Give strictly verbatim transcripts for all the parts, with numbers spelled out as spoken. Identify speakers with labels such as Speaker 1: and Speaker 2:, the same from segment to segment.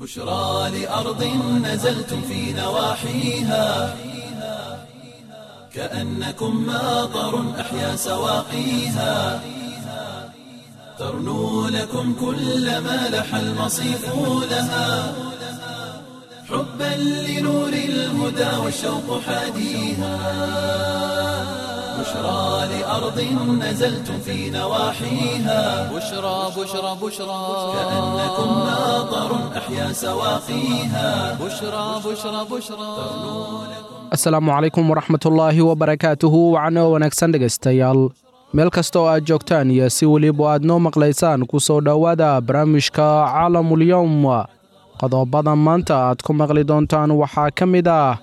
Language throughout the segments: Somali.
Speaker 1: بشرى لأرض نزلتم في نواحيها كأنكم ماطر أحيا سواقيها ترنو لكم كل ما لح المصيف لها حبا لنور الهدى والشوق حاديها بشرى لأرض نزلتم في نواحيها
Speaker 2: بشرى بشرى بشرى
Speaker 1: كأنكم ماطر أحيا سواقيها
Speaker 2: بشرى بشرى بشرى
Speaker 3: Asalaamu calaykum waraxmatullaahi wabarakaatuhu. Wacno wanaagsan dhegaystayaal, meel kasta oo aad joogtaan iyo si weliba aad noo maqlaysaan, ku soo dhowaada barnaamijka Caalamulyowm. Qodobada maanta aad ku maqli doontaan waxaa ka mid ah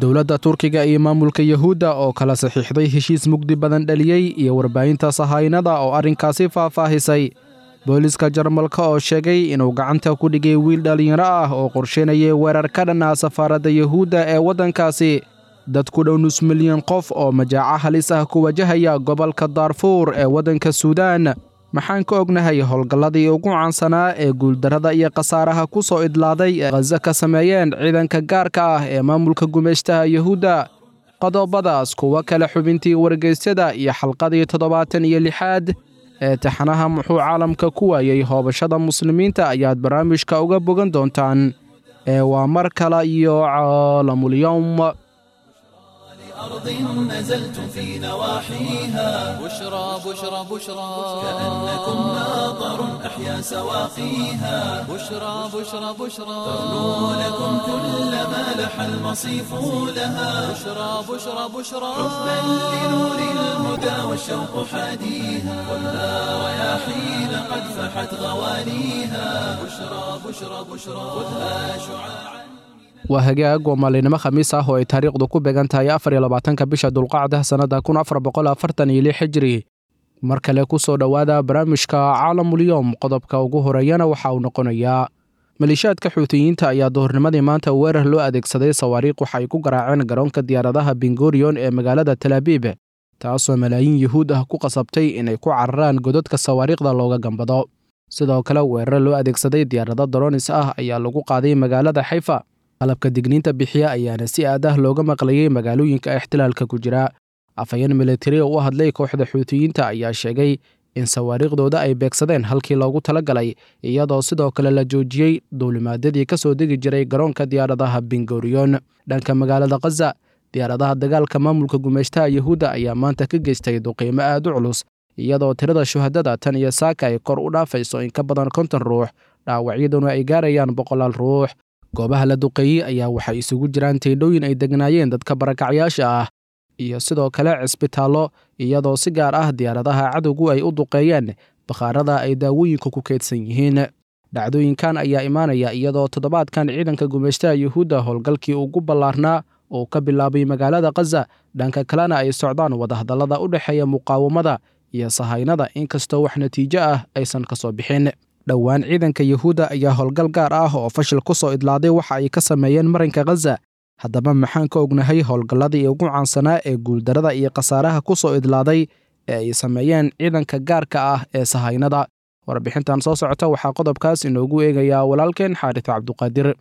Speaker 3: dowladda Turkiga iyo maamulka Yahuudda oo kala saxiixday heshiis mugdi badan dhaliyey, iyo warbaahinta sahaynada oo arrinkaasi faahfaahisay. Booliska Jarmalka oo sheegay inuu gacanta ku dhigay wiil dhallinyaro ah oo qorsheynayay weerar ka dhan ah safaaradda Yahuudda ee waddankaasi. Dad ku dhow nus milyan qof oo majaaco halis ah ku wajahaya gobolka Daarfuur ee waddanka Suudaan. Maxaan ka ognahay howlgalladii ugu caansanaa ee guuldarrada iyo khasaaraha ku soo idlaaday ee Khaza ka sameeyeen ciidanka gaarka ah ee maamulka gumeystaha Yahuudda? Qodobadaas, kuwo kale, xubintii wargeysyada iyo xalqadii toddobaatan iyo lixaad ee taxanaha "Muxuu caalamka ku waayey hoobashada muslimiinta" ayaad barnaamijka uga bogan doontaan. Ee waa mar kale iyo Caalamulyowm.
Speaker 1: أرض نزلتم في نواحيها
Speaker 2: بشرى بشرى بشرى
Speaker 1: كأنكم ماطر أحيا سواقيها
Speaker 2: بشرى بشرى بشرى
Speaker 1: ترنو لكم كل ما لح المصيف لها
Speaker 2: بشرى بشرى بشرى
Speaker 1: حبا لنور الهدى والشوق حاديها خذها رياحين قد فحت غوانيها بشرى بشرى بشرى خذها شعاعا.
Speaker 3: Waa hagaag, waa maalinimo Khamiis ah oo ay taariikhdu ku beegan tahay afar iyo labaatanka bisha Dulqacda sannada kun afar boqol afartan iyo lix Hijri. Mar kale ku soo dhowaada barnaamijka Caalamulyowm. Qodobka ugu horeeyana waxa uu noqonayaa maleeshiyaadka Xuutiyiinta ayaa duhurnimadii maanta weerar loo adeegsaday sawaariikh waxa ay ku garaaceen garoonka diyaaradaha Bingorion ee magaalada Talaabiib, taasoo malaayiin Yuhuud ah ku qasabtay inay ku cararaan godadka sawaariikhda looga gambado. Sidoo kale, weerar loo adeegsaday diyaarado dronis ah ayaa lagu qaaday magaalada Xayfa. Qalabka digniinta bixiya ayaana si aad ah looga maqlayay magaalooyinka ixtilaalka ku jira. Afhayeen militari oo u hadlay kooxda Xuutiyiinta ayaa sheegay in sawaariikhdooda ay beegsadeen halkii loogu talagalay, iyadoo sidoo kale la joojiyey duulimaadyadii ka soo degi jiray garoonka diyaaradaha Bingorion. Dhanka magaalada Khaza, diyaaradaha dagaalka maamulka gumeystaha Yahuudda ayaa maanta ka geystay duqiimo aad u culus, iyadoo tirada shuhadada tan iyo saaka ay kor u dhaafayso in ka badan konton ruux, dhaawacyaduna ay gaarayaan boqolaal ruux. Goobaha la duqeeyey ayaa waxay isugu jiraan teydhooyin ay degnaayeen dadka barakacyaasha ah iyo sidoo kale cisbitaallo, iyadoo si gaar ah diyaaradaha cadowgu ay u duqeeyeen bakhaarada ay daawooyinka ku keydsan yihiin. Dhacdooyinkan ayaa imaanaya iyadoo toddobaadkan ciidanka gumeystaha Yuhuudda howlgalkii ugu ballaarnaa oo ka bilaabay magaalada Khaza, dhanka kalena ay socdaan wadahadallada u dhexeeya muqaawamada iyo sahaynada, inkastoo wax natiijo ah aysan ka soo bixin. Dhowaan ciidanka Yahuudda ayaa howlgal gaar ah oo fashil ku soo idlaaday waxa ay ka sameeyeen marinka Khaza. Haddaba, maxaan ka ognahay howlgalladii ugu caansanaa ee guuldarrada iyo khasaaraha ku soo idlaaday ee ay sameeyeen ciidanka gaarka ah ee sahaynada? Warbixintan soo socota waxaa qodobkaas inoogu eegayaa walaalkeen Xaaris Cabduqaadir.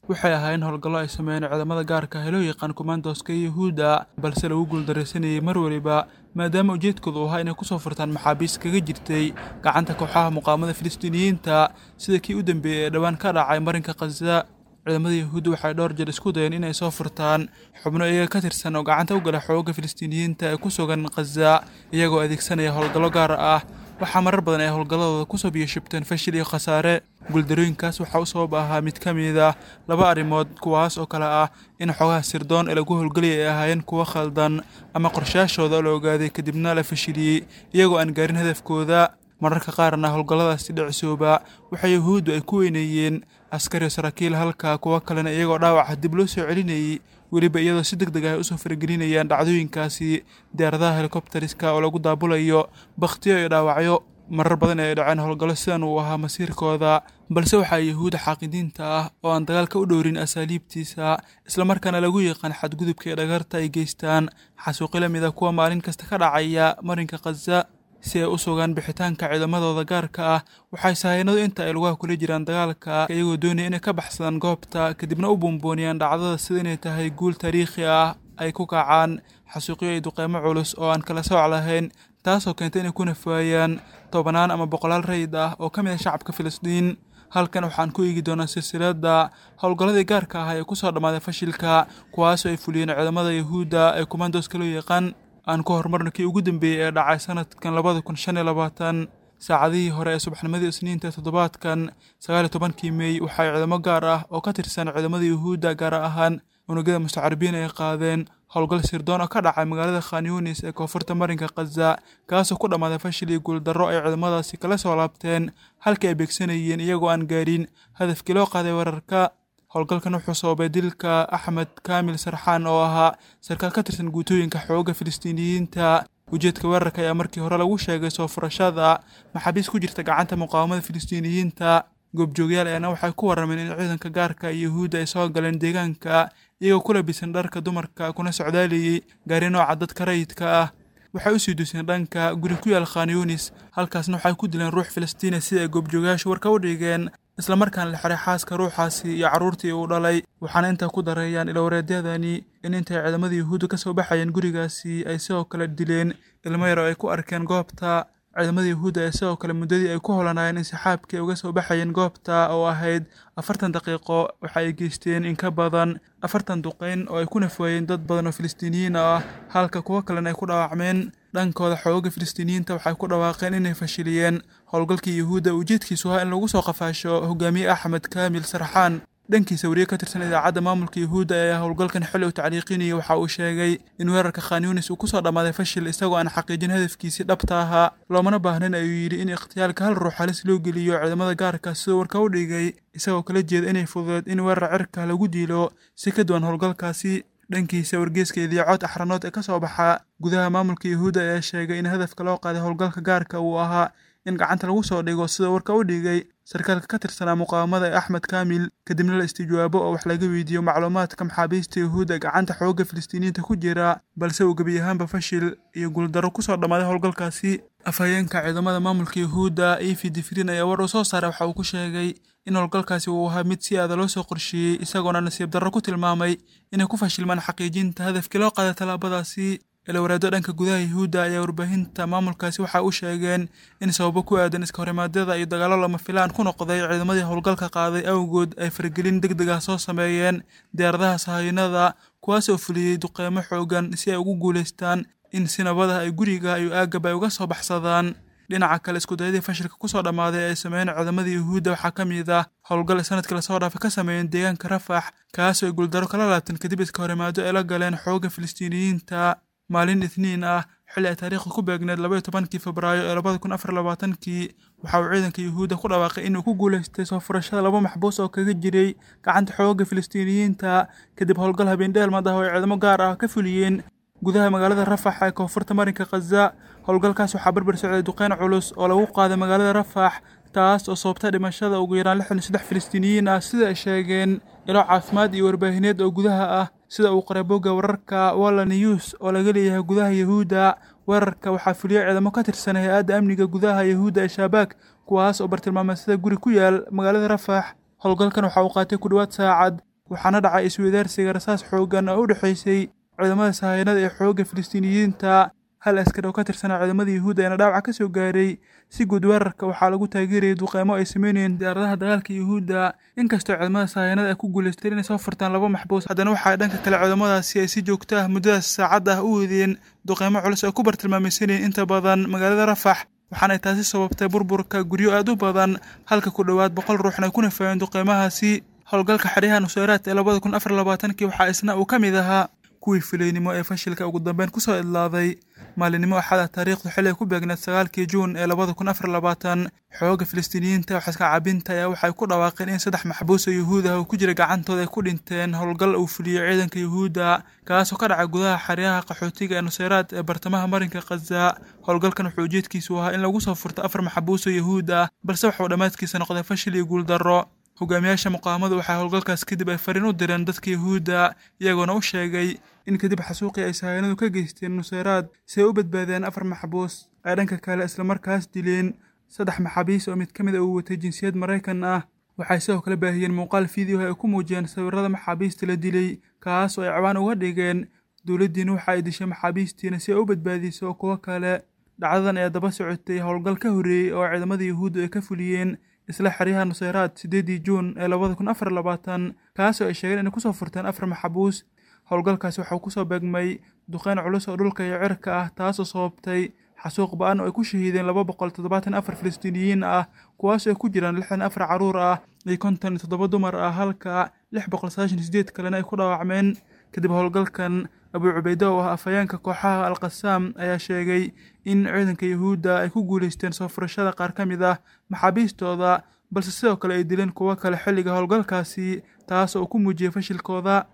Speaker 4: Waxay ahaayeen howlgallo ay sameeyeen ciidamada gaarka ah ee loo yaqaan kumaandooska Yuhuudda, balse lagu guuldaraysanayay mar waliba, maadaama ujeedkoodu ahaa inay kusoo furtaan maxaabiis kaga jirtay gacanta kooxaha muqaamada Filistiiniyiinta, sida kii u dambeeyey ee dhowaan ka dhacay marinka Khaza. Ciidamada Yuhuudda waxay dhowr jeer isku dayeen inay soo furtaan xubno iyaga ka tirsan oo gacanta u gala xoogga Filistiiniyiinta ee ku sugan Khaza, iyagoo adeegsanaya howlgallo gaar ah. Waxaa marar badan ay howlgalladooda kusoo biyashubteen fashil iyo khasaare. Guuldarooyinkaas waxaa u sabab ahaa mid ka mid ah laba arrimood, kuwaas oo kale ah in xogaha sirdoon ee lagu howlgelayay ay ahaayeen kuwo khaldan, ama qorshayaashooda la ogaaday kadibna la fashiliyey iyagoo aan gaarin hadafkooda. Mararka qaarna howlgalladaasi dhicisooba waxay Yuhuuddu ay ku weyneeyeen askari iyo saraakiil, halka kuwo kalena iyagoo dhaawaca dib loo soo celinayay, weliba iyadoo si deg deg ah ay usoo faragelinayaan dhacdooyinkaasi diyaaradaha helikobteriska oo lagu daabulayo bakhtiyo iyo dhaawacyo. Marar badan ay dhaceen howlgallo sidan uu ahaa masiirkooda, balse waxaa Yuhuudda xaaqidiinta ah oo aan dagaalka u dhowrin asaaliibtiisa, islamarkaana lagu yaqaan xadgudubka iyo dhagarta ay geystaan, xasuuqi la mid ah kuwa maalin kasta ka dhacaya marinka Khaza. Si ay u sugaan bixitaanka ciidamadooda gaarka ah, waxay sahayanadu inta ay lugaha kula jiraan dagaalka, iyagoo doonaya inay ka baxsadaan goobta kadibna u buunbuuniyaan dhacdada sida inay tahay guul taariikhi ah, ay ku kacaan xasuuqyo iyo duqeymo culus oo aan kala sooc lahayn, taasoo keentay inay ku nafaayaan tobanaan ama boqolaal rayid ah oo ka mid ah shacabka Filistiin. Halkan waxaan ku eegi doonaa silsiladda howlgalladii gaarka ah ee kusoo dhammaaday fashilka, kuwaasoo ay fuliyeen ciidamada Yahuudda ee kumandoska loo yaqaan. Aan ku horumarno kii ugu dambeeyey ee dhacay sanadkan labada kun shan iyo labaatan. Saacadihii hore ee subaxnimadii Isniinta toddobaadkan sagaal iyo tobankii Mey, waxay ciidamo gaar ah oo ka tirsan ciidamada Yahuudda, gaar ahaan unugyada mustacaribiin, ay qaadeen howlgal sirdoon oo ka dhacay magaalada Khan Yunis ee koonfurta marinka Khaza, kaasoo ku dhammaaday fashil iyo guuldarro ay ciidamadaasi kala soo laabteen halkii ay beegsanayeen, iyagoo aan gaarin hadafkii loo qaaday weerarka. Howlgalkan wuxuu sababay dilka Axmed Kaamil Sarxaan oo ahaa sarkaal ka tirsan guutooyinka xoogga Filistiiniyiinta. Ujeedka weerarka ayaa markii hore lagu sheegay soo furashada maxaabiis ku jirta gacanta muqaawamada Filistiiniyiinta. Goobjoogyaal ayaana waxay ku warrameen in ciidanka gaarka Yuhuudda ay soo galeen deegaanka iyagoo ku labisan dharka dumarka, kuna socdaalayay gaari nooca dadka rayidka ah. Waxay u sii duseen dhanka guri ku yaal Khan Yunis, halkaasna waxay ku dileen ruux Filistiini sida ay goobjoogayaashu warka u dhigeen, islamarkaana la xiray xaaska ruuxaasi iyo carruurtii uu dhalay. Waxaana intaa ku dareeyaan ilowreedyadani in intay ciidamada Yuhuudda ka soo baxayeen gurigaasi ay sidoo kale dileen ilmo yar oo ay ku arkeen goobta. Ciidamada Yuhuudda ee sidoo kale muddadii ay ku holanaayeen insixaabkii ay uga soo baxayeen goobta oo ahayd afartan daqiiqo, waxa ay geysteen in ka badan afartan duqeyn oo ay ku nafwaayeen dad badan oo Filistiiniyiin ah, halka kuwo kalena ay ku dhaawacmeen. Dhankooda, xoogagga Filistiiniyiinta waxay ku dhawaaqeen inay fashiliyeen howlgalkii Yuhuudda ujeedkiisu ahaa in lagu soo qafaasho hogaamiye Axmed Kaamil Sarxaan. Dhankiisa, wariye ka tirsan idaacadda maamulka Yuhuudda ayaa howlgalkan xilli uu tacliiqinayay waxa uu sheegay in weerarka Khan Yunis uu kusoo dhammaaday fashil, isagoo aan xaqiijin hadafkiisii dhabta ahaa. Loomana baahnayn, ayuu yidhi, in ikhtiyaalka hal ruux halis loo geliyo ciidamada gaarka, siduu warka u dhigay, isagoo kala jeeda inay fududeed in weerar cirka lagu dilo si ka duwan howlgalkaasi. Dhankiisa, wargeyska Idiicood Axranood ee ka soo baxa gudaha maamulka Yuhuudda ayaa sheegay in hadafka loo qaaday howlgalka gaarka uu ahaa in gacanta lagu soo dhigo, sida warka u dhigay, sarkaalka ka tirsanaa muqaawamada ee Axmed Kaamil, kadibna la istijaabo oo wax laga weydiiyo macluumaadka maxaabiista Yuhuudda gacanta xoogga Filistiiniyiinta ku jira, balse uu gebi ahaanba fashil iyo guuldarro kusoo dhammaaday howlgalkaasi. Afhayeenka ciidamada maamulka Yuhuudda Efi Difrin ayaa war uu soo saaray waxa uu ku sheegay in howlgalkaasi uu ahaa mid si aada loo soo qorsheeyey, isagoona nasiib darro ku tilmaamay inay ku fashilmaan xaqiijinta hadafkii loo qaaday tallaabadaasi. Ilowreeddo dhanka gudaha Yuhuudda ayaa warbaahinta maamulkaasi waxa u sheegeen in sababo ku aadan iska horimaadyada iyo dagaallo lama filaan ku noqday ciidamadii howlgalka qaaday awgood ay faragelin deg deg ah soo sameeyeen diyaaradaha sahayanada, kuwaas oo fuliyey duqeymo xoogan si ay ugu guulaystaan in si nabad ah ay guriga iyo aaggaba ay uga soo baxsadaan. Dhinaca kale, iskudayadii fashilka kusoo dhammaaday ee ay sameeyeen ciidamada Yuhuudda waxaa ka mid ah howlgal sanadkii lasoo dhaafay ka sameeyeen deegaanka Rafax, kaasoo ay guuldarro kala laabteen kadib iska horimaado ay la galeen xoogga Filistiiniyiinta. Maalin Isniin ah, xilli ay taariikhdu ku beegneed laba iyo tobankii Febraayo ee labada kun afar labaatankii, waxa uu ciidanka Yuhuudda ku dhawaaqay inuu ku guulaystay soo furashada laba maxbuus oo kaga jiray gacanta xoogga Filistiiniyiinta, kadib howlgal habeen-dheelmad ah oo ay ciidamo gaar ah ka fuliyeen gudaha magaalada Rafax ee koonfurta marinka Khaza. Howlgalkaas waxaa barbar socday duqeyn culus oo lagu qaaday magaalada Rafax, taas oo sababtay dhimashada ugu yaraan lixdan iyo saddex Filistiiniyiin ah, sida ay sheegeen ilo caafimaad iyo warbaahineed oo gudaha ah, sida uu qoray bogga wararka Walla News oo laga leeyahay gudaha Yuhuudda. Weerarka waxaa fuliyey ciidamo ka tirsan hay-adda amniga gudaha Yuhuudda ee Shabaak, kuwaas oo bartilmaameedsada guri ku yaal magaalada Rafax. Howlgalkan waxa uu qaatay ku dhowaad saacad, waxaana dhacay isweydaarsiga rasaas xooggan oo u dhexaysay ciidamada sahayanada ee xoogga Filistiiniyiinta. Hal askar oo ka tirsanaa ciidamada Yuhuudda ayaana dhaawaca ka soo gaaray. Si guud, weerarka waxaa lagu taageerayay duqeymo ay sameynayeen diyaaradaha dagaalka Yuhuudda. Inkastoo ciidamada sahayanada ay ku guulaysteen inay soo furtaan laba maxbuus, haddana waxaa dhanka kale ciidamadaasi ay si joogto ah muddadaas saacad ah u wadeen duqeymo culus oo ku bartilmaamaysanayeen inta badan magaalada Rafax, waxaana ay taasi sababtay burburka guryo aad u badan, halka ku dhowaad boqol ruuxna ay ku nafaayeen duqeymahaasi. Howlgalka xeryaha Nusayraat ee labada kun afar labaatankii waxaa isna uu ka mid ahaa kuwii filaynimo ee fashilka ugu dambeyn kusoo idlaaday. Maalinimo Axada, taariikhdu xilli ay ku beegneed sagaalkii Juun ee labada kun afar labaatan, xoogga Filistiiniyiinta wax iska cabinta ayaa waxay ku dhawaaqeen in saddex maxbuus oo Yuhuud ah oo ku jira gacantooda ay ku dhinteen howlgal uu fuliyey ciidanka Yuhuudda, kaasoo ka dhacay gudaha xeryaha qaxootiga ee Nusayraat ee bartamaha marinka Khaza. Howlgalkan wuxuu ujeedkiisu ahaa in lagu soo furto afar maxbuus oo Yuhuud ah, balse wuxuu dhammaadkiisa noqday fashil iyo guuldarro. Hogaamiyaasha muqaawamadu waxay howlgalkaas kadib ay fariin u direen dadka Yuhuudda, iyagoona u sheegay in kadib xasuuqii ay sahayanadu ka geysteen Nuseyraad si ay u badbaadeen afar maxbuus, ay dhanka kale islamarkaas dileen saddex maxaabiis oo mid ka mid ah uu watay jinsiyad Maraykan ah. Waxay sidoo kale baahiyeen muuqaal fiideo ay ku muujiyeen sawirrada maxaabiista la dilay, kaas oo ay cawaan uga dhigeen dowladdiina waxa ay dishay maxaabiistiina si ay u badbaadiso kuwo kale. Dhacdadan ayaa daba socotay howlgal ka horreeyey oo ciidamada Yuhuuddu ay ka fuliyeen isla xeryaha Nuseyraad sideedii Juun ee labada kun afar labaatan, kaas oo ay sheegeen inay kusoo furteen afar maxbuus. Howlgalkaasi waxaa kusoo beegmay duqeyn culus oo dhulka iyo cirka ah, taasoo sababtay xasuuq ba-an oo ay ku shahiideen laba boqol toddobaatan afar Filistiiniyiin ah, kuwaasoo ay ku jiraan lixdan afar carruur ah iyo konton iyo toddoba dumar ah, halka lix boqol sagaashan iyo sideed kalena ay ku dhaawacmeen. Kadib howlgalkan, Abu Cubayde oo ah afhayeenka kooxaha Al-Qasaam ayaa sheegay in ciidanka Yuhuudda ay ku guuleysteen soo furashada qaar ka mid ah maxaabiistooda, balse sidoo kale ay dileen kuwo kale xilliga howlgalkaasi, taas oo ku muujiyey fashilkooda.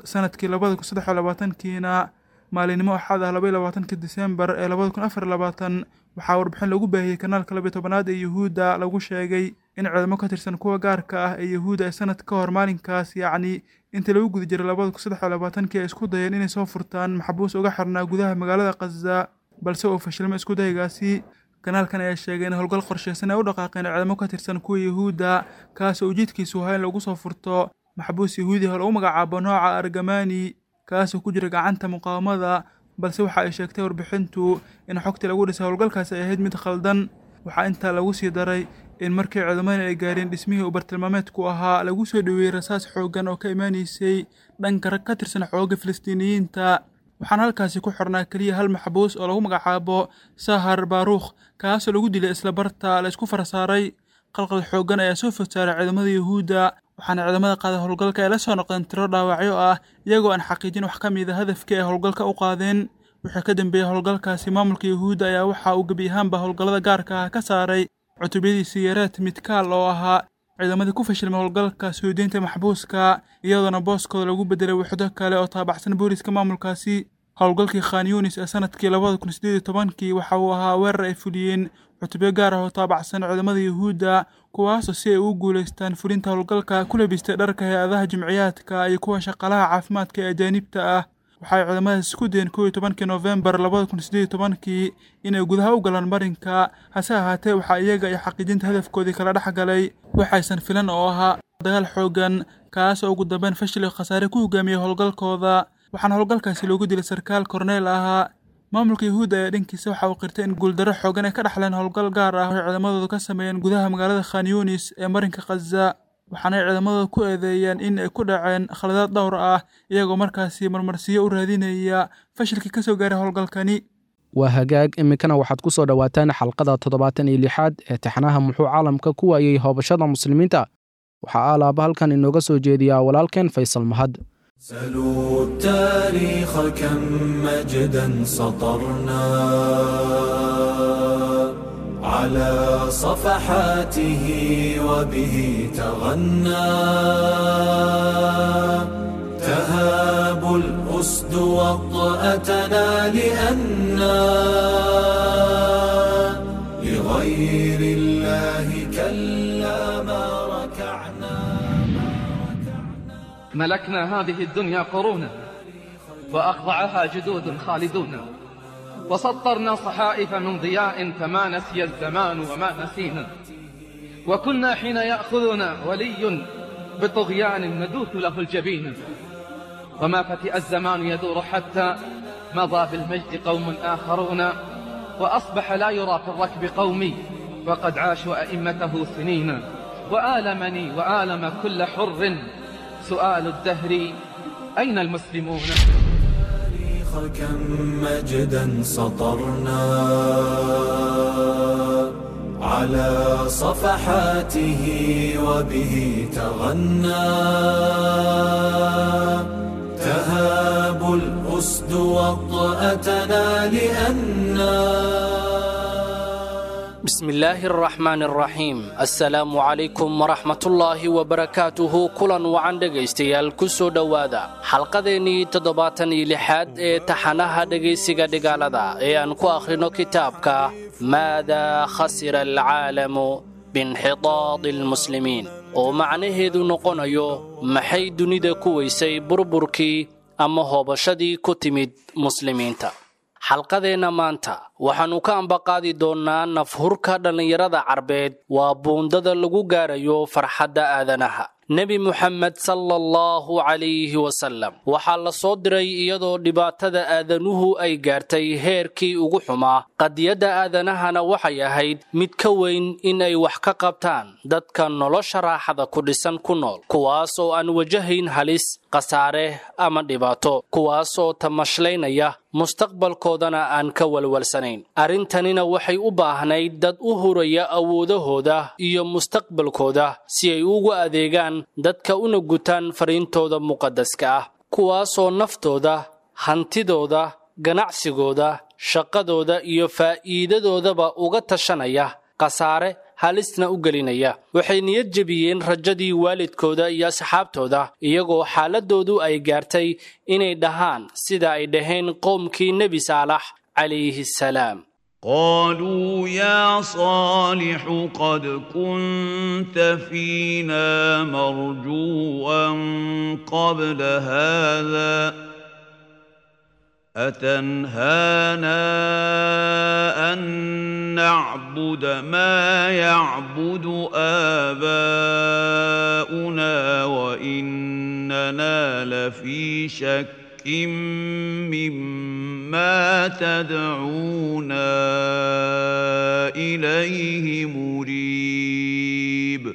Speaker 4: Sanadkii labada kun saddex iyo labaatankiina, maalinimo Axad ah laba iyo labaatanka Disembar ee labada kun afar iyo labaatan, waxaa warbixin lagu baahiyey kanaalka laba iyo tobanaad ee Yuhuudda lagu sheegay in ciidamo ka tirsan kuwa gaarka ah ee Yuhuudda ay sanad ka hor maalinkaas, yacni intii lagu guda jiray labada kun saddex iyo labaatankii, ay isku dayeen inay soo furtaan maxbuus uga xirnaa gudaha magaalada Khaza, balse uu fashilmay isku daygaasi. Kanaalkan ayaa sheegay in howlgal qorsheysan ay u dhaqaaqeen ciidamo ka tirsan kuwa Yuhuudda, kaas oo ujeedkiisu ahaa in lagu soo furto maxbuus Yahuudi ah oo lagu magacaabo nooca Argamani, kaasoo ku jira gacanta muqaawamada, balse waxa ay sheegtay warbixintu in xogtii lagu dhisay howlgalkaasi ay ahayd mid khaldan. Waxaa intaa lagu sii daray in markii ciidamadan ay gaareen dhismihii uu bartilmaameedku ahaa, lagu soo dhoweeyey rasaas xooggan oo ka imaanaysay dhanka rag ka tirsan xoogga Filistiiniyiinta. Waxaana halkaasi ku xirnaa keliya hal maxbuus oo lagu magacaabo Sahar Baruukh, kaasoo lagu dilay isla barta la isku farasaaray. Qalqal xooggan ayaa soo food saaray ciidamada Yuhuudda, waxaana ciidamada qaaday howlgalka ay la soo noqdeen tiro dhaawacyo ah, iyagoo aan xaqiijin wax ka mid a hadafkii ay howlgalka u qaadeen. Wixii ka dambeeyey howlgalkaasi, maamulka Yuhuudda ayaa waxa uu gebi ahaanba howlgallada gaarka ah ka saaray cutubyadiisii yareed Midkaal oo ahaa ciidamadii ku fashilmay howlgalka soo deynta maxbuuska, iyadoona booskooda lagu bedelay wuxdo kale oo taabacsan booliska maamulkaasi. Howlgalkii Khan Yunis ee sanadkii labada kun sideed iyo tobankii waxa uu ahaa weerar ay fuliyeen cutubyo gaar ah oo taabacsan ciidamada Yuhuudda, kuwaasoo si ay ugu guuleystaan fulinta howlgalka ku labistay dharka hay-adaha jimciyaadka iyo kuwa shaqaalaha caafimaadka ee ajaanibta ah. Waxay ciidamadaas isku dayeen kow iyo tobankii Noofembar labada kun sideed iyo tobankii inay gudaha u galaan marinka, hase ahaatee waxaa iyaga iyo xaqiijinta hadafkoodii kala dhex galay waxaysan filan oo ahaa dagaal xooggan, kaas oo ugu dambeyn fashil iyo khasaare ku hogaamiyey howlgalkooda. Waxaana howlgalkaasi loogu dilay sarkaal korneyl ahaa. Maamulka Yuhuudda ayaa dhankiisa waxa uu qirtay in guuldarro xooggan ay ka dhaxleen howlgal gaar ah oo ay ciidamadoodu ka sameeyeen gudaha magaalada Khan Yunis ee marinka Khaza, waxaana ay ciidamadooda ku eedeeyeen in ay ku dhaceen khaladaad dhowr ah, iyagoo markaasi marmarsiyo u raadinaya fashilkii ka soo gaaray howlgalkani.
Speaker 3: Waa hagaag, iminkana waxaad ku soo dhowaataan xalqada toddobaatan iyo lixaad ee taxanaha Muxuu Caalamka ku waayey hoobashada muslimiinta. Waxaa alaaba halkan inooga soo jeediyaa walaalkeen Faysal Mahad.
Speaker 1: سلوا التاريخ كم مجدا سطرنا على صفحاته وبه تغنى تهاب الأسد وطأتنا لأنا لغير الله كلا ما ركعنا.
Speaker 5: ملكنا هذه الدنيا قرونا وأخضعها جدود خالدون، وسطرنا صحائف من ضياء فما نسي الزمان وما نسينا، وكنا حين يأخذنا ولي بطغيان ندوث له الجبين، وما فتئ الزمان يدور حتى مضى بالمجد قوم آخرون، وأصبح لا يرى في الركب قومي وقد عاشوا أئمته سنين. وآلمني وآلم كل حر سؤال الدهر أين المسلمون؟
Speaker 1: كم مجدا سطرنا على صفحاته وبه تغنى تهاب الأسد وطأتنا لأننا.
Speaker 6: بسم الله الرحمن الرحيم. السلام عليكم ورحمة الله وبركاته. kulan wacan dhegaystayaal, ku soo dhowaada xalqadeennii toddobaatan iyo lixaad ee taxanaha dhegaysiga dhigaalada ee aan ku akhrino kitaabka Maada khasira alcaalamu biinxitaadi almuslimiin, oo macnaheedu noqonayo maxay dunida ku weysay burburkii ama hoobashadii ku timid muslimiinta. Xalqadeenna maanta waxaannu ka ambaqaadi doonnaa nafhurka dhallinyarada carbeed waa buundada lagu gaarayo farxadda aadanaha. Nebi Muxamed sala allahu calayhi wasallam waxaa la soo diray iyadoo dhibaatada aadanuhu ay gaartay heerkii ugu xumaa. Qadiyadda aadanahana waxay ahayd mid ka weyn in ay wax ka qabtaan dadka nolosha raaxada ku dhisan ku nool, kuwaas oo aan wajahayn halis, khasaare ama dhibaato, kuwaas oo tamashlaynaya mustaqbalkoodana aan ka walwalsanayn. Arrintanina waxay u baahnayd dad u huraya awoodahooda iyo mustaqbalkooda si ay ugu adeegaan dadka una gutaan fariintooda muqaddaska ah, kuwaasoo naftooda, hantidooda, ganacsigooda, shaqadooda iyo faa'iidadoodaba uga tashanaya khasaare halisna u gelinaya. Waxay niyad jebiyeen rajadii waalidkooda iyo asxaabtooda, iyagoo xaaladoodu ay gaartay inay dhahaan sida ay dhaheen qoomkii Nebi Saalax calayhi salaam:
Speaker 7: قالوا يا صالح قد كنت فينا مرجوا قبل هذا، أتنهانا أن نعبد ما يعبد آباؤنا وإننا لفي شك مما تدعونا إليه مريب.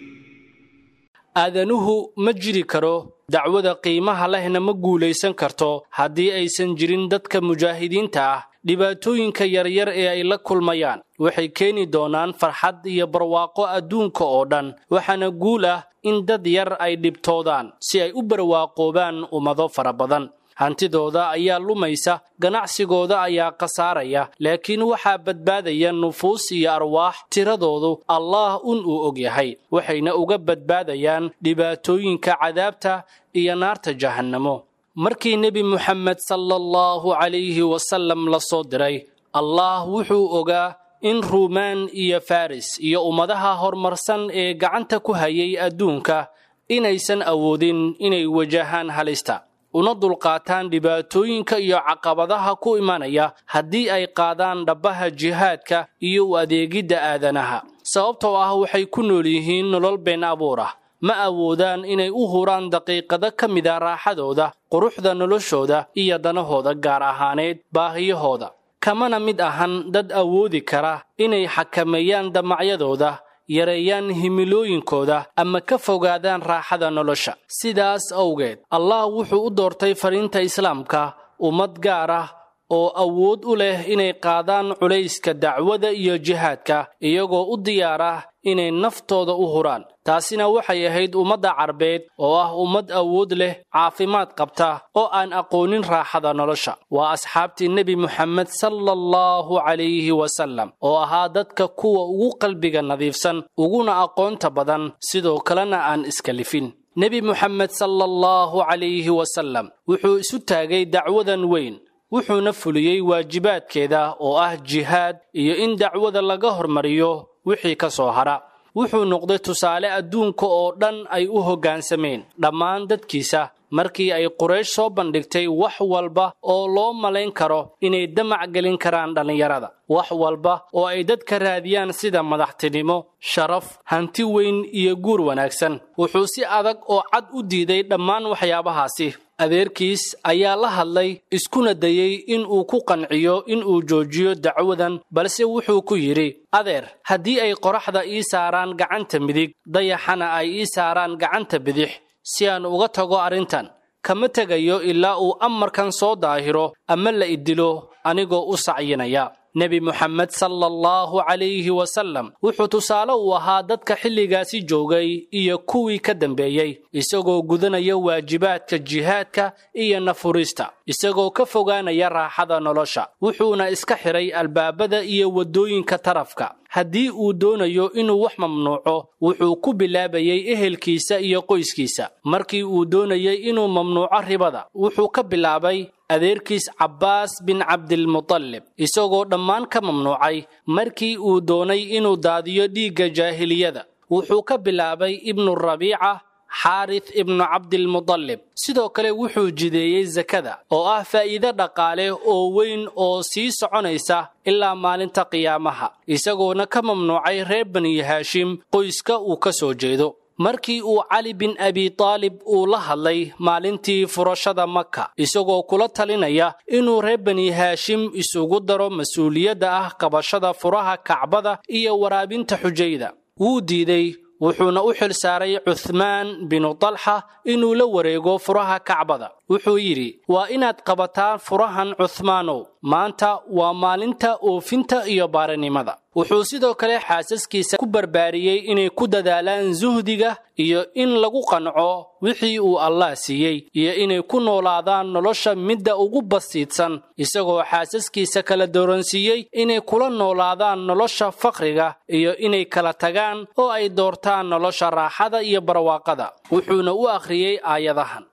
Speaker 6: Aadanuhu ma jiri karo, dacwada qiimaha lehna ma guulaysan karto haddii aysan jirin dadka mujaahidiinta ah. Dhibaatooyinka yaryar ee ay la kulmayaan waxay keeni doonaan farxad iyo barwaaqo adduunka oo dhan, waxaana guul ah in dad yar ay dhibtoodaan si ay u barwaaqoobaan ummado fara badan. Hantidooda ayaa lumaysa, ganacsigooda ayaa khasaaraya, laakiin waxaa badbaadaya nufuus iyo arwaax tiradoodu Allaah un uu og yahay, waxayna uga badbaadayaan dhibaatooyinka cadaabta iyo naarta jahannamo. Markii Nebi Muxamed sala allahu calayhi wasallam la soo diray, Allaah wuxuu ogaa in Ruumaan iyo Faris iyo ummadaha horumarsan ee gacanta ku hayay adduunka inaysan awoodin inay wajahaan halista una dulqaataan dhibaatooyinka iyo caqabadaha ku imanaya haddii ay qaadaan dhabbaha jihaadka iyo u adeegidda aadanaha, sababtoo ah waxay ku nool yihiin nolol been abuur ah. Ma awoodaan inay u huraan daqiiqado ka mida raaxadooda, quruxda noloshooda iyo danahooda gaar ahaaneed baahiyahooda, kamana mid ahan dad awoodi kara inay xakameeyaan damacyadooda, yareeyaan himilooyinkooda ama ka fogaadaan raaxada nolosha. Sidaas awgeed Allah wuxuu u doortay fariinta islaamka ummad gaar ah oo awood u leh inay qaadaan culayska dacwada iyo jihaadka, iyagoo u diyaar ah inay naftooda u huraan. Taasina waxay ahayd ummadda carbeed oo ah ummad awood leh, caafimaad qabta oo aan aqoonin raaxada nolosha. Waa asxaabtii Nebi Muxamed sala allahu calayhi wasallam oo ahaa dadka kuwa ugu qalbiga nadiifsan, uguna aqoonta badan, sidoo kalena aan iskalifin. Nebi Muxamed sala allahu calayhi wasallam wuxuu isu taagay dacwadan weyn, wuxuuna fuliyey waajibaadkeeda oo ah jihaad iyo in dacwada laga hormariyo wixii ka soo hara. Wuxuu noqday tusaale adduunka oo dhan ay u hoggaansameen dhammaan dadkiisa markii ay Quraysh soo bandhigtay wax walba oo loo malayn karo inay damac gelin karaan dhallinyarada, wax walba oo ay dadka raadiyaan sida madaxtinimo, sharaf, hanti weyn iyo guur wanaagsan. Wuxuu si adag oo cad u diiday dhammaan waxyaabahaasi. Adeerkiis ayaa la hadlay, iskuna dayey in uu ku qanciyo in uu joojiyo dacwadan, balse wuxuu ku yidhi: adeer, haddii ay qoraxda ii saaraan gacanta midig, dayaxana ay ii saaraan gacanta bidix si aan uga tago arrintan, kama tegayo ilaa uu amarkan soo daahiro ama la idilo anigoo u sacyinaya. Nebi Muxamed sala allahu calayhi wasallam wuxuu tusaale u ahaa dadka xilligaasi joogay iyo kuwii ka dambeeyey, isagoo gudanaya waajibaadka jihaadka iyo nafurista, isagoo ka fogaanaya raaxada nolosha. Wuxuuna iska xiray albaabada iyo waddooyinka tarafka. Haddii uu doonayo inuu wax mamnuuco, wuxuu ku bilaabayey ehelkiisa iyo qoyskiisa. Markii uu doonayey inuu mamnuuco ribada, wuxuu ka bilaabay adeerkiis Cabbaas bin Cabdilmutalib, isagoo dhammaan ka mamnuucay. Markii uu doonay inuu daadiyo dhiigga jaahiliyada, Wuxuu ka bilaabay Ibnu Rabiica, Xaarith ibnu Cabdilmudallib. Sidoo kale wuxuu jideeyey sakada oo ah faa'iido dhaqaale oo weyn oo sii soconaysa ilaa maalinta qiyaamaha, isagoona ka mamnuucay reer Bani Haashim qoyska uu ka soo jeedo. Markii uu Cali bin Abi Taalib uu la hadlay maalintii furashada Maka, isagoo kula talinaya inuu reer Bani Haashim isugu daro mas-uuliyadda ah qabashada furaha Kacbada iyo waraabinta xujayda, wuu diiday, wuxuuna u xil saaray Cuthmaan binu Talxa inuu la wareego furaha Kacbada. Wuxuu yidhi: "Waa inaad qabataan furahan, Cuthmaanow, maanta waa maalinta oofinta iyo baarinimada." Wuxuu sidoo kale xaasaskiisa ku barbaariyey inay ku dadaalaan suhdiga iyo in lagu qanco wixii uu Allah siiyey, iyo inay ku noolaadaan nolosha midda ugu basiidsan, isagoo xaasaskiisa kala dooransiiyey inay kula noolaadaan nolosha faqriga iyo inay kala tagaan oo ay doortaan nolosha raaxada iyo barwaaqada. Wuxuuna u akhriyey aayadahan: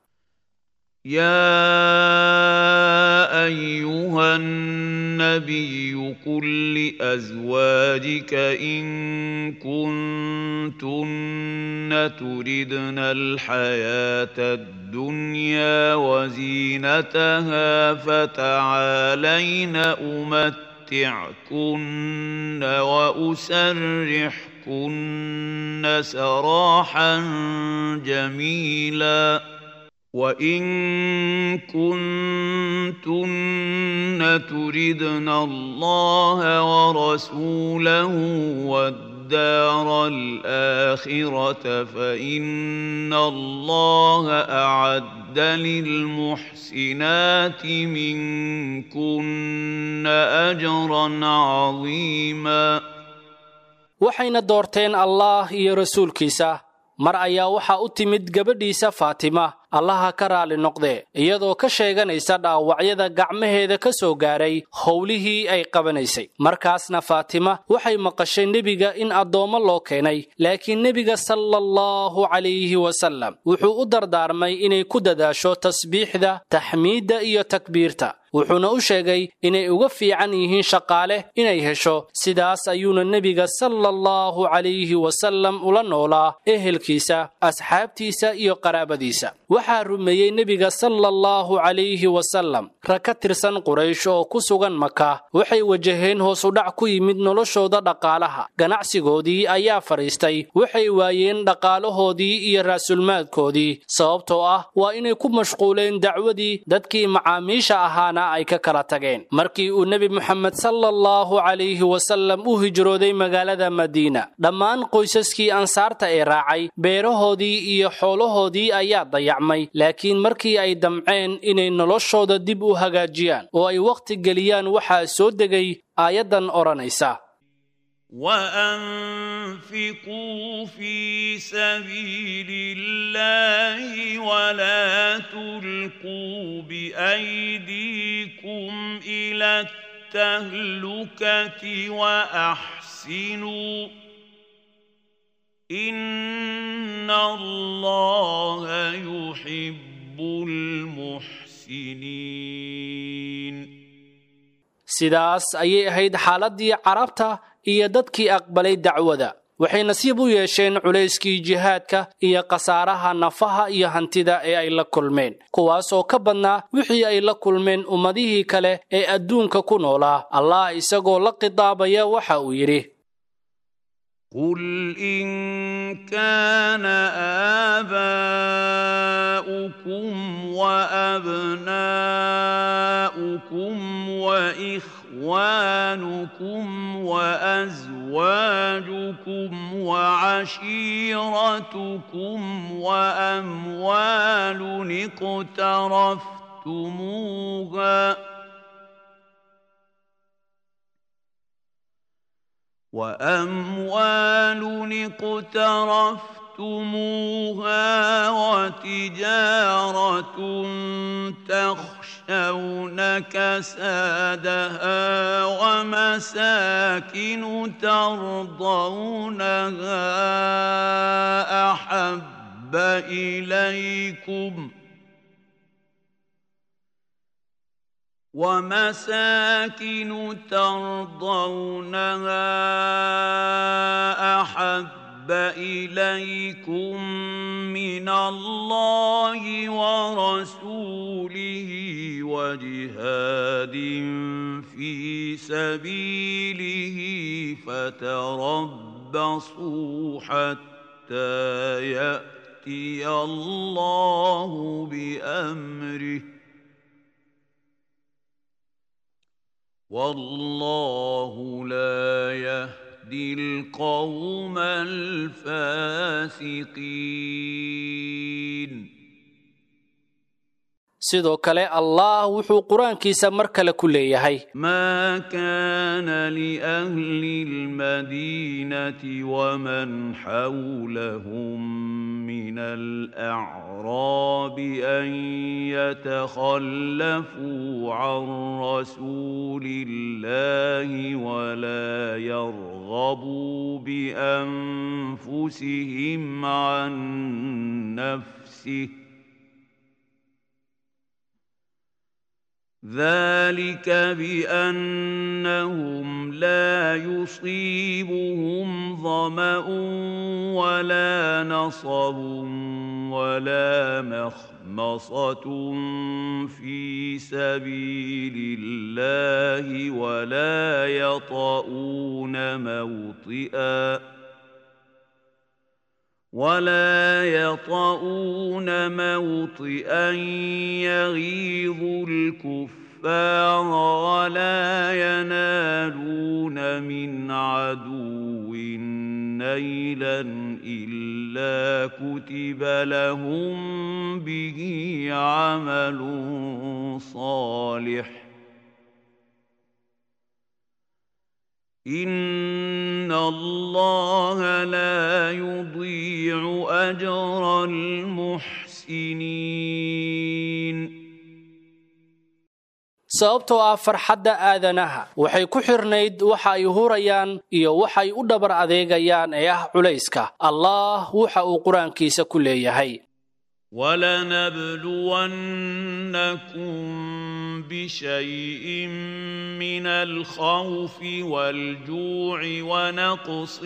Speaker 7: يا أيها النبي قل لأزواجك إن كنتن تردن الحياة الدنيا وزينتها فتعالين أمتعكن وأسرحكن سراحا جميلا، وإن كنتن تردن الله ورسوله والدار الآخرة فإن الله أعد للمحسنات منكن أجرا عظيما.
Speaker 6: Waxayna doorteen Allah iyo rasuulkiisa. Mar ayaa waxaa u timid gabadhiisa Faatima, Allaha ka raali noqdee, iyadoo ka sheeganaysa dhaawacyada gacmaheeda ka soo gaaray howlihii ay qabanaysay. Markaasna Faatima waxay maqashay nebiga in addoommo loo keenay, laakiin nebiga sala allahu calayhi wasallam wuxuu u dardaarmay inay ku dadaasho tasbiixda, taxmiidda iyo takbiirta, wuxuuna u sheegay inay uga fiican yihiin shaqaale inay hesho. Sidaas ayuuna nebiga sala allahu calayhi wasallam ula noolaa ehelkiisa, asxaabtiisa iyo qaraabadiisa. Waxaa rumeeyey nebiga sala allahu calayhi wasallam rag ka tirsan Quraysh oo ku sugan Maka. Waxay wajaheen hoosudhac ku yimid noloshooda dhaqaalaha, ganacsigoodii ayaa fadhiistay, waxay waayeen dhaqaalahoodii iyo raasulmaadkoodii, sababtoo ah waa inay ku mashquuleen dacwadii, dadkii macaamiisha ahaana ay ka kala tageen. Markii uu Nebi Moxamed sala allahu calayhi wasallam u hijrooday magaalada Madiina, dhammaan qoysaskii ansaarta ee raacay beerahoodii iyo xoolahoodii ayaa dayacmay, laakiin markii ay damceen inay noloshooda dib u hagaajiyaan oo ay wakhti geliyaan, waxaa soo degay aayaddan odhanaysa:
Speaker 7: وأنفقوا في سبيل الله ولا تلقوا بأيديكم إلى التهلكة وأحسنوا إن الله يحب المحسنين.
Speaker 6: Sidaas ayay ahayd xaaladdii Carabta iyo dadkii aqbalay dacwada. Waxay nasiib u yeesheen culayskii jihaadka iyo khasaaraha nafaha iyo hantida ee ay la kulmeen, kuwaasoo ka badnaa wixii ay la kulmeen ummadihii kale ee adduunka ku noolaa. Allah isagoo la khitaabaya waxa uu yidhi:
Speaker 7: قل إن كان آباؤكم وأبناؤكم وإخوانكم وأزواجكم وعشيرتكم وأموال اقترفتموها وأموال اقترفتموها وتجارة تخشون كسادها ومساكن ترضونها أحب إليكم ومساكن ترضونها أحب أحب إليكم من الله ورسوله وجهاد في سبيله فتربصوا حتى يأتي الله بأمره والله لا يهدي القوم الفاسقين.
Speaker 6: Sidoo kale Allah wuxuu qur-aankiisa mar kale ku leeyahay:
Speaker 7: ما كان لأهل المدينة ومن حولهم من الأعراب أن يتخلفوا عن رسول الله ولا يرغبوا بأنفسهم عن نفسه ذلك بأنهم لا يصيبهم ظمأ ولا نصب ولا مخمصة في سبيل الله ولا يطؤون موطئا ولا يطؤون موطئا يغيظ الكفار ولا ينالون من عدو نيلا إلا كتب لهم به عمل صالح إن الله لا يضيع أجر المحسنين.
Speaker 6: Sababtoo ah farxadda aadanaha waxay ku xirnayd waxa ay hurayaan iyo waxay u dhabar adeegayaan ee ah culayska. Allah waxa uu qur-aankiisa ku leeyahay:
Speaker 7: ولنبلونكم بشيء من الخوف والجوع ونقص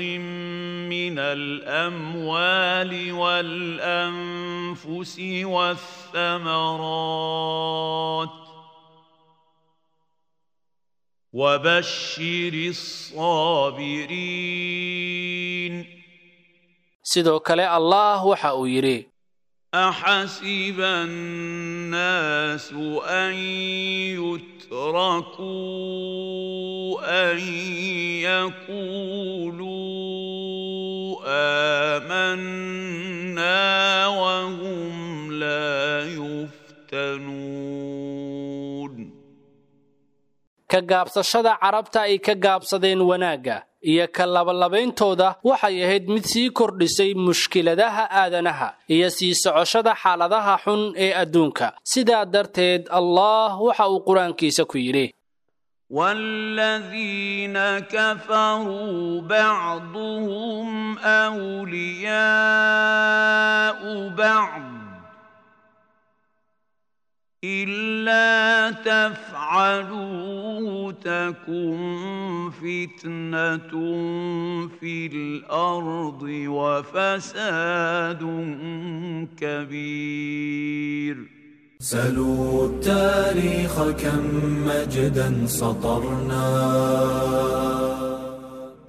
Speaker 7: من الأموال والأنفس والثمرات وبشر الصابرين.
Speaker 6: Sidoo kale Allah waxa uu yidhi:
Speaker 7: أحسب الناس أن يتركوا أن يقولوا آمنا وهم لا يفتنون.
Speaker 6: Ka gaabsashada carabta ay ka gaabsadeen wanaagga iyo ka labalabeyntooda waxay ahayd mid sii kordhisay mushkiladaha aadanaha iyo sii socoshada xaaladaha xun ee adduunka. Sidaa darteed Allah waxa uu qur-aankiisa ku yidhi:
Speaker 7: والذين كفروا بعضهم أولياء بعض إلا تفعلوا تكن فتنة في الأرض وفساد كبير.
Speaker 1: سلوا التاريخ كم مجدا سطرنا.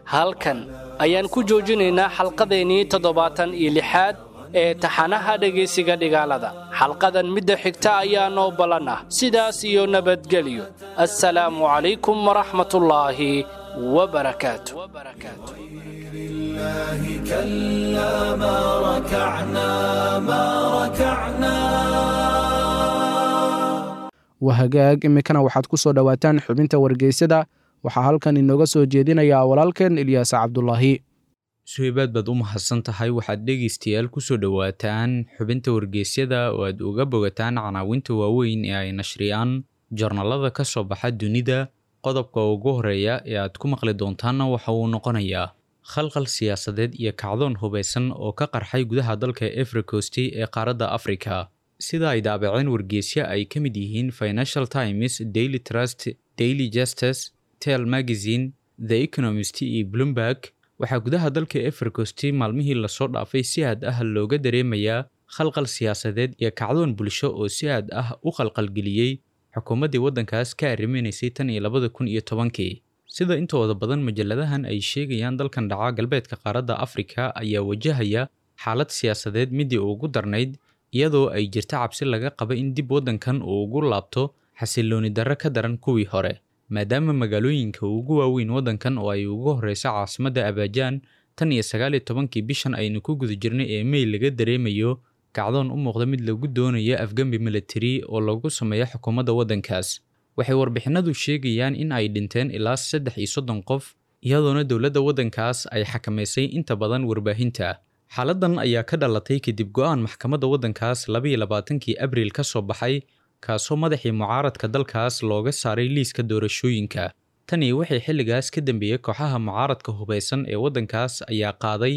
Speaker 6: Halkan ayaan ku joojinaynaa xalqadeennii toddobaatan iyo lixaad ee taxanaha dhegaysiga dhigaalada. Xalqadan midda xigta ayaa noo ballan ah. Sidaas iyo nabadgelyo. Assalaamu calaykum waraxmatullaahi wabarakaatu.
Speaker 1: الله كلا ما ركعنا ما ركعنا.
Speaker 3: Wahagaag, iminkana waxaad ku soo dhowaataan xubinta wargeysyada. Waxaa halkan inooga soo jeedinayaa walaalkeen Ilyaas Cabdulaahi.
Speaker 8: Suhaybaad baad u mahadsan tahay. Waxaad dhegaystayaal ku soo dhowaataan xubinta wargeysyada oo aad uga bogataan canaawinta waaweyn ee ay nashriyaan jarnalada ka soo baxa dunida. Qodobka ugu horeeya ee aad ku maqli doontaanna waxa uu noqonayaa khalkhal siyaasadeed iyo kacdoon hubaysan oo ka qarxay gudaha dalka Ivory Coast ee qaaradda Afrika. Sida ay daabaceen wargeysyo ay ka mid yihiin Financial Times, Daily Trust, Daily Justice, Tell Magazine, The Economist iyo Bloomberg, Waxaa gudaha dalka Ivory Coast maalmihii lasoo dhaafay si aad ah looga dareemayaa khalkhal siyaasadeed iyo kacdoon bulsho oo si aad ah u khalkhalgeliyey xukuumaddii waddankaas ka arriminaysay tan iyo labada kun iyo tobankii. Sida intooda badan majalladahan ay sheegayaan, dalkan dhaca galbeedka qaaradda Afrika ayaa wajahaya xaalad siyaasadeed midii ugu darnayd, iyadoo ay jirta cabsi laga qaba in dib waddankan uu ugu laabto xasillooni darro ka daran kuwii hore, maadaama magaalooyinka ugu waaweyn waddankan oo ay ugu horreysa caasimadda Abajaan tan iyo sagaal iyo tobankii bishan aynu ku guda jirnay ee May laga dareemayo kacdoon u muuqda mid lagu doonayo afgambi military oo lagu sameeyo xukuumadda waddankaas. Waxay warbixinadu sheegayaan in ay dhinteen ilaa saddex iyo soddon qof, iyadoona dowladda waddankaas ay xakamaysay inta badan warbaahinta. Xaaladdan ayaa ka dhalatay kadib go'aan maxkamadda waddankaas laba iyo labaatankii Abriil ka soo baxay, kaasoo madaxii mucaaradka dalkaas looga saaray liiska doorashooyinka. Tani waxay xilligaas ka dambeeyey kooxaha mucaaradka hubeysan ee waddankaas ayaa qaaday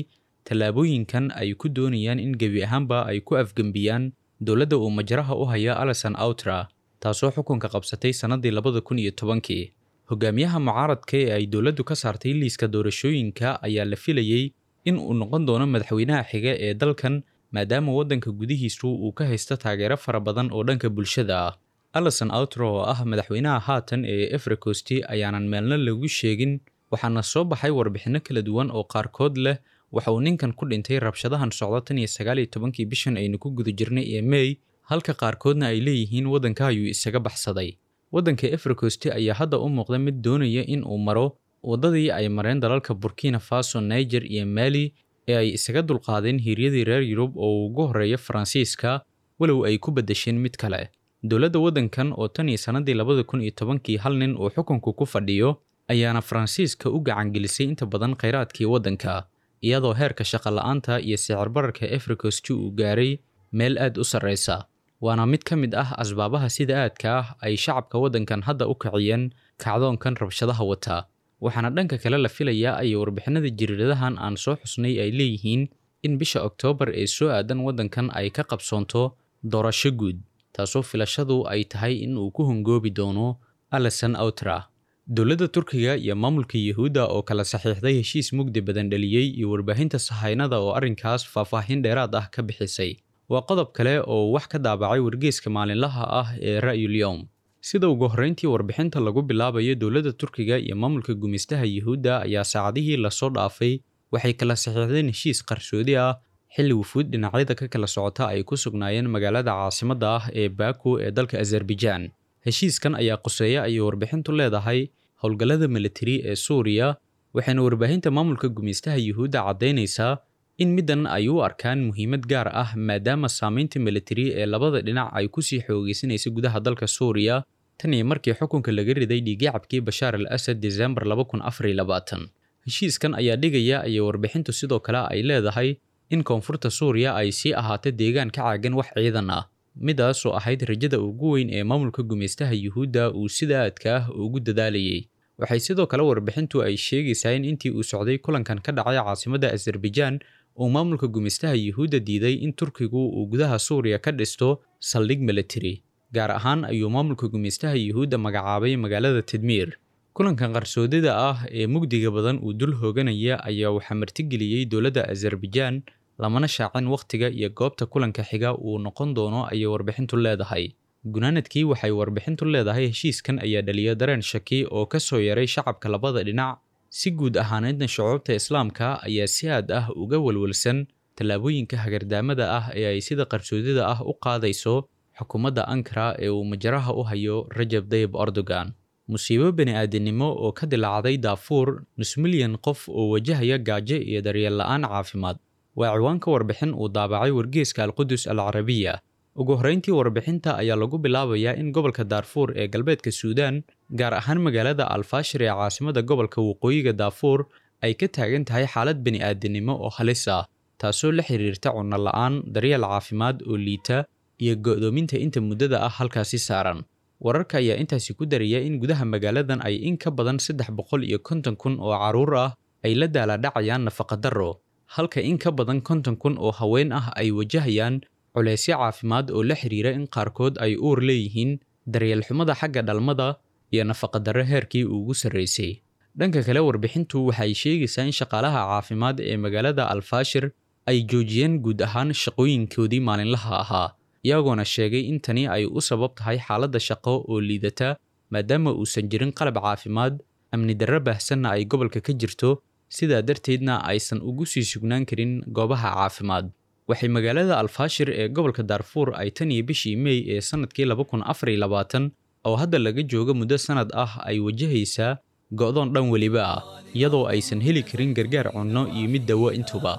Speaker 8: tallaabooyinkan ay ku doonayaan in gebi ahaanba ay ku afgembiyaan dowladda uu majraha u haya Alassane Ouattara, taasoo xukunka qabsatay sannaddii labada kun iyo tobankii. Hogaamiyaha mucaaradka ee ay dowladdu ka saartay liiska doorashooyinka ayaa la filayey in uu noqon doono madaxweynaha xiga ee dalkan, maadaama waddanka gudihiisu uu ka haysto taageero fara badan oo dhanka bulshada ah. Alassane Ouattara oo ah madaxweynaha haatan ee Ivory Coast ayaanan meelna lagu sheegin, waxaana soo baxay warbixinno kala duwan oo qaarkood leh waxa uu ninkan ku dhintay rabshadahan socda tan iyo sagaal iyo tobankii bishan aynu ku guda jirnay ee May, halka qaarkoodna ay leeyihiin waddanka ayuu isaga baxsaday. Waddanka Ivory Coast ayaa hadda u muuqda mid doonaya in uu maro waddadii ay mareen dalalka Burkina Faso, Niger iyo Mali ee ay isaga dulqaadeen hiiryadii reer Yurub oo ugu horreeya Faransiiska, walow ay ku beddesheen mid kale. Dowladda waddankan oo tan iyo sannaddii labada kun iyo tobankii hal nin uu xukunku ku fadhiyo ayaana Faransiiska u gacangelisay inta badan kheyraadkii waddanka, iyadoo heerka shaqo la'aanta iyo sicir bararka Ivory Coast uu gaaray meel aad u sarreysa. Waana mid ka mid ah asbaabaha sida aadka ah ay shacabka waddankan hadda u kiciyeen kacdoonkan rabshadaha wata. Waxaana dhanka kale la filayaa ay warbixinada jiriiradahan aan soo xusnay ay leeyihiin in bisha Oktoobar ee soo aadan waddankan ay ka qabsoonto doorasho guud, taasoo filashadu ay tahay in uu ku hungoobi doono Alassane Ouattara. Dowladda Turkiga iyo maamulka Yuhuudda oo kala saxiixday heshiis mugdi badan dhaliyey iyo warbaahinta sahaynada oo arrinkaas faahfaahin dheeraad ah ka bixisay waa qodob kale oo wax ka daabacay wargeyska maalinlaha ah ee Ra'yul Yowm. Sida ugu horreyntii warbixinta lagu bilaabayo, dowladda Turkiga iyo maamulka gumaystaha Yuhuudda ayaa saacadihii lasoo dhaafay waxay kala saxiixdeen heshiis qarsoodi ah xilli wufuud dhinacyada ka kala socota ay ku sugnaayeen magaalada caasimadda ah ee Baku ee dalka Azerbaijan. Heshiiskan ayaa quseeya ayay warbixintu leedahay howlgallada military ee Suuriya, waxayna warbaahinta maamulka gumaystaha Yuhuudda caddaynaysaa in middan ay u arkaan muhiimad gaar ah, maadaama saameynta military ee labada dhinac ay kusii xoogeysanaysa gudaha dalka Suuriya tan iyo markii xukunka laga riday dhiigyacabkii Bashaar al-Asad Desembar laba kun afar iyo labaatan. Heshiiskan ayaa dhigaya ayay warbixintu sidoo kale ay leedahay in koonfurta Suuriya ay sii ahaato deegaan ka caagan wax ciidan ah, midaasoo ahayd rajada ugu weyn ee maamulka gumaystaha Yuhuudda uu sida aadka ah ugu dadaalayay. Waxay sidoo kale warbixintu ay sheegaysaa in intii uu socday kulankan ka dhacay caasimadda Azerbaijan uu maamulka gumaystaha Yuhuudda diiday in Turkigu uu gudaha Suuriya ka dhisto saldhig military, gaar ahaan ayuu maamulka gumaystaha Yuhuudda magacaabay magaalada Tadmiir. Kulankan qarsoodida ah ee mugdiga badan uu dul hooganaya ayaa waxaa martigeliyey dowladda Azerbaijan, lamana shaacin wakhtiga iyo goobta kulanka xiga uu noqon doono ayay warbixintu leedahay. Gunaanadkii waxay warbixintu leedahay heshiiskan ayaa dhaliya dareen shaki oo ka soo yaray shacabka labada dhinac, si guud ahaaneedna shucuubta islaamka ayaa si aad ah uga walwalsan tallaabooyinka hagardaamada ah ee ay sida qarsoodida ah u qaadayso xukuumadda Ankara ee uu majraha u hayo Rajab Tayyip Erdogan. Musiibo bini'aadanimo oo ka dilaacday Darfur, nus milyan qof oo wajahaya gaajo iyo daryeel la'aan caafimaad, waa ciwaanka warbixin uu daabacay wargeyska Al-Qudus Al-Carabiya. Ugu horreyntii warbixinta ayaa lagu bilaabayaa in gobolka Darfur ee galbeedka Suudaan, gaar ahaan magaalada Al-Fashir ee caasimadda gobolka waqooyiga Darfur, ay ka taagan tahay xaalad bini'aadanimo oo halis ah, taasoo la xiriirta cunno la'aan, daryeel caafimaad oo liita iyo go'doominta inta muddada ah halkaasi saaran. Wararka ayaa intaasi ku daraya in gudaha magaaladan ay in ka badan saddex boqol iyo konton kun oo carruur ah ay la daalaa-dhacayaan nafaqa-darro, halka in ka badan konton kun oo haween ah ay wajahayaan culeysyo caafimaad oo la xiriira in qaarkood ay uur leeyihiin, daryeel xumada xagga dhalmada iyo nafaqa-darro heerkii ugu sarreysay. Dhanka kale, warbixintu waxay sheegaysaa in shaqaalaha caafimaad ee magaalada Alfaashir ay joojiyeen guud ahaan shaqooyinkoodii maalinlaha ahaa, iyagoona sheegay in tani ay u sabab tahay xaaladda shaqo oo liidata, maadaama uusan jirin qalab caafimaad, amni darro baahsanna ay gobolka ka jirto, sidaa darteedna aysan ugu sii sugnaan karin goobaha caafimaad. Waxay magaalada Alfaashir ee gobolka Daarfuur ay tan iyo bishii May ee sanadkii laba kun afar iyo labaatan oo hadda laga joogo muddo sanad ah ay wajahaysaa go'doon dhan weliba ah, iyadoo aysan heli karin gargaar cunno iyo mid dawo intuba.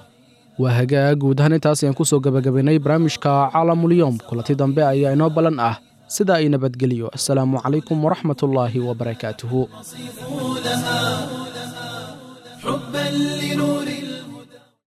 Speaker 3: Waa hagaag, guud ahaan intaas ayaan kusoo gabagabaynay barnaamijka Caalamulyoom. Kulanti dambe ayaa inoo ballan ah, sidaa ay nabadgeliyo. Asalaamu calaykum waraxmatullaahi wabarakaatuhu.
Speaker 1: حبا لنور